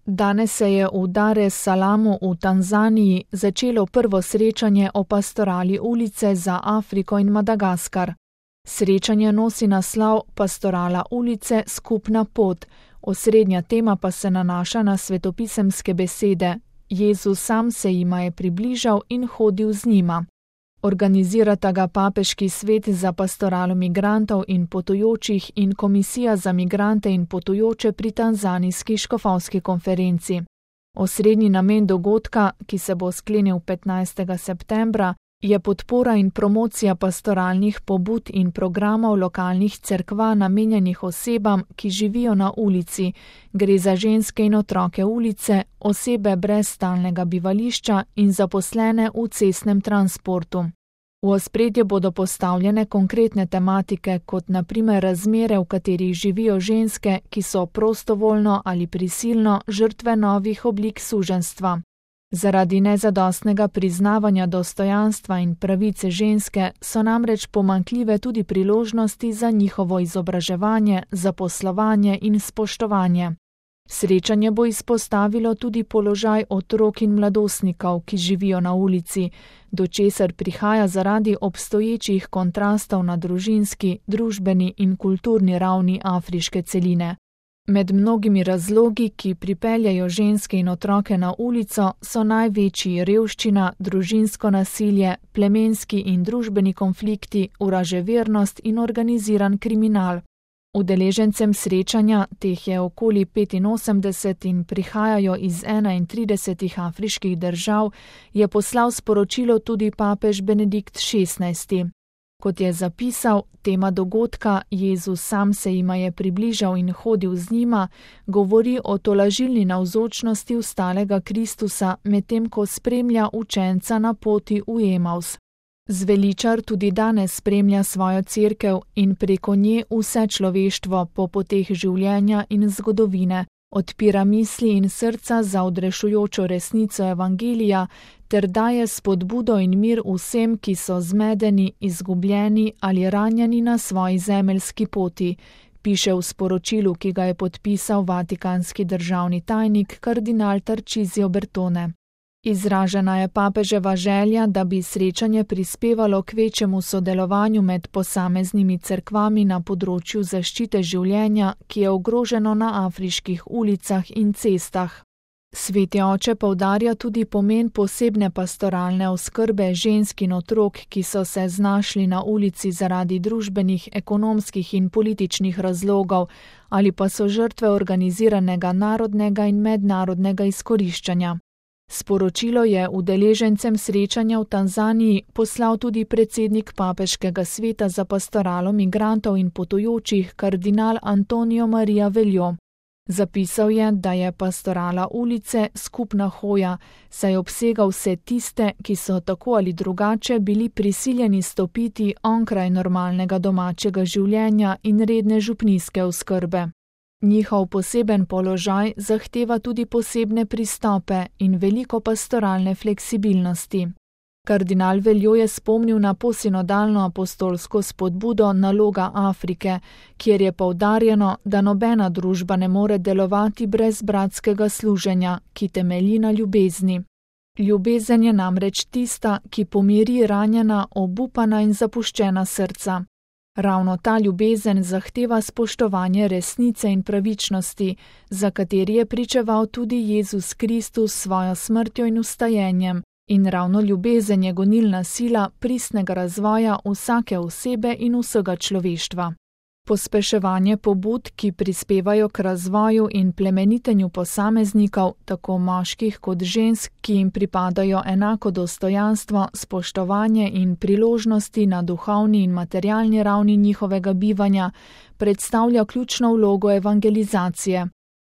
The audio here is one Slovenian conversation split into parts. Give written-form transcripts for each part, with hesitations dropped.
Danes se je v Dar es Salamu v Tanzaniji začelo prvo srečanje o pastorali ulice za Afriko in Madagaskar. Srečanje nosi naslov Pastorala ulice skupna pot, osrednja tema pa se nanaša na svetopisemske besede. Jezus sam se jima je približal in hodil z njima. Organizirata ga Papeški svet za pastoralo migrantov in potujočih in Komisija za migrante in potujoče pri Tanzanijski škofovski konferenci. Osrednji namen dogodka, ki se bo sklenil 15. septembra, je podpora in promocija pastoralnih pobud in programov lokalnih cerkva namenjenih osebam, ki živijo na ulici. Gre za ženske in otroke ulice, osebe brez stalnega bivališča in zaposlene v cestnem transportu. V ospredje bodo postavljene konkretne tematike, kot na primer razmere, v katerih živijo ženske, ki so prostovoljno ali prisilno žrtve novih oblik suženjstva. Zaradi nezadostnega priznavanja dostojanstva in pravice ženske so namreč pomanjkljive tudi priložnosti za njihovo izobraževanje, zaposlovanje in spoštovanje. Srečanje bo izpostavilo tudi položaj otrok in mladostnikov, ki živijo na ulici, do česar prihaja zaradi obstoječih kontrastov na družinski, družbeni in kulturni ravni afriške celine. Med mnogimi razlogi, ki pripeljajo ženske in otroke na ulico, so največji revščina, družinsko nasilje, plemenski in družbeni konflikti, vraževernost in organiziran kriminal. Udeležencem srečanja, teh je okoli 85 in prihajajo iz 31 afriških držav, je poslal sporočilo tudi papež Benedikt XVI. Kot je zapisal, tema dogodka Jezus sam se jima je približal in hodil z njima, govori o tolažilni navzočnosti ustalega Kristusa, medtem ko spremlja učenca na poti v Emaus. Zveličar tudi danes spremlja svojo cerkev in preko nje vse človeštvo po poteh življenja in zgodovine, odpira misli in srca za odrešujočo resnico evangelija ter daje spodbudo in mir vsem, ki so zmedeni, izgubljeni ali ranjeni na svoji zemeljski poti, piše v sporočilu, ki ga je podpisal vatikanski državni tajnik kardinal Tarcisio Bertone. Izražena je papeževa želja, da bi srečanje prispevalo k večjemu sodelovanju med posameznimi cerkvami na področju zaščite življenja, ki je ogroženo na afriških ulicah in cestah. Sveti oče poudarja tudi pomen posebne pastoralne oskrbe žensk in otrok, ki so se znašli na ulici zaradi družbenih, ekonomskih in političnih razlogov ali pa so žrtve organiziranega narodnega in mednarodnega izkoriščanja. Sporočilo je udeležencem srečanja v Tanzaniji poslal tudi predsednik Papeškega sveta za pastoralo migrantov in potujočih kardinal Antonio Maria Veljo. Zapisal je, da je pastorala ulice skupna hoja, saj obsega vse tiste, ki so tako ali drugače bili prisiljeni stopiti onkraj normalnega domačega življenja in redne župnijske oskrbe. Njihov poseben položaj zahteva tudi posebne pristope in veliko pastoralne fleksibilnosti. Kardinal Veljo je spomnil na posinodalno apostolsko spodbudo Naloga Afrike, kjer je poudarjeno, da nobena družba ne more delovati brez bratskega služenja, ki temelji na ljubezni. Ljubezen je namreč tista, ki pomiri ranjena, obupana in zapuščena srca. Ravno ta ljubezen zahteva spoštovanje resnice in pravičnosti, za kateri je pričeval tudi Jezus Kristus s svojo smrtjo in vstajenjem, in ravno ljubezen je gonilna sila pristnega razvoja vsake osebe in vsega človeštva. Pospeševanje pobud, ki prispevajo k razvoju in plemenitenju posameznikov, tako moških kot žensk, ki jim pripadajo enako dostojanstvo, spoštovanje in priložnosti na duhovni in materialni ravni njihovega bivanja, predstavlja ključno vlogo evangelizacije.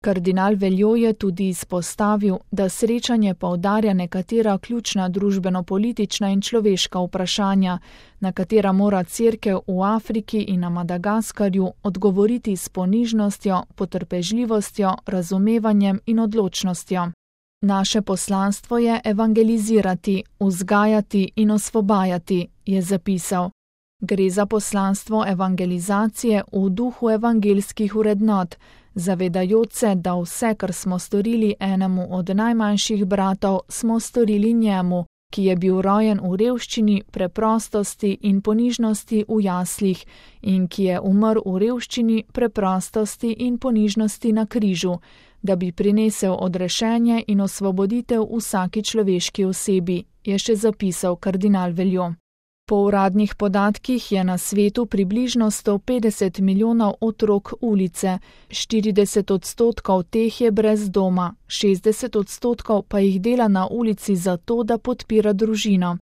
Kardinal Veljo je tudi izpostavil, da srečanje poudarja nekatera ključna družbeno-politična in človeška vprašanja, na katera mora cerkev v Afriki in na Madagaskarju odgovoriti s ponižnostjo, potrpežljivostjo, razumevanjem in odločnostjo. Naše poslanstvo je evangelizirati, vzgajati in osvobajati, je zapisal. Gre za poslanstvo evangelizacije v duhu evangelskih vrednot, zavedajoč se, da vse, kar smo storili enemu od najmanjših bratov, smo storili njemu, ki je bil rojen v revščini, preprostosti in ponižnosti v jaslih in ki je umrl v revščini, preprostosti in ponižnosti na križu, da bi prinesel odrešenje in osvoboditev vsaki človeški osebi, je še zapisal kardinal Veljo. Po uradnih podatkih je na svetu približno 150 milijonov otrok ulice, 40% teh je brez doma, 60% pa jih dela na ulici zato, da podpira družino.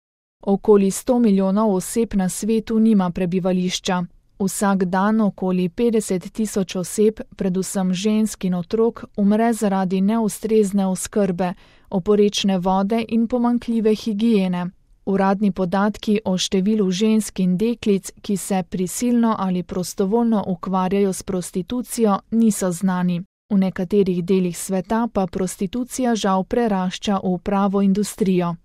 Okoli 100 milijonov oseb na svetu nima prebivališča. Vsak dan okoli 50 tisoč oseb, predvsem žensk in otrok, umre zaradi neustrezne oskrbe, oporečne vode in pomanjkljive higiene. Uradni podatki o številu žensk in deklic, ki se prisilno ali prostovoljno ukvarjajo s prostitucijo, niso znani. V nekaterih delih sveta pa prostitucija žal prerašča v pravo industrijo.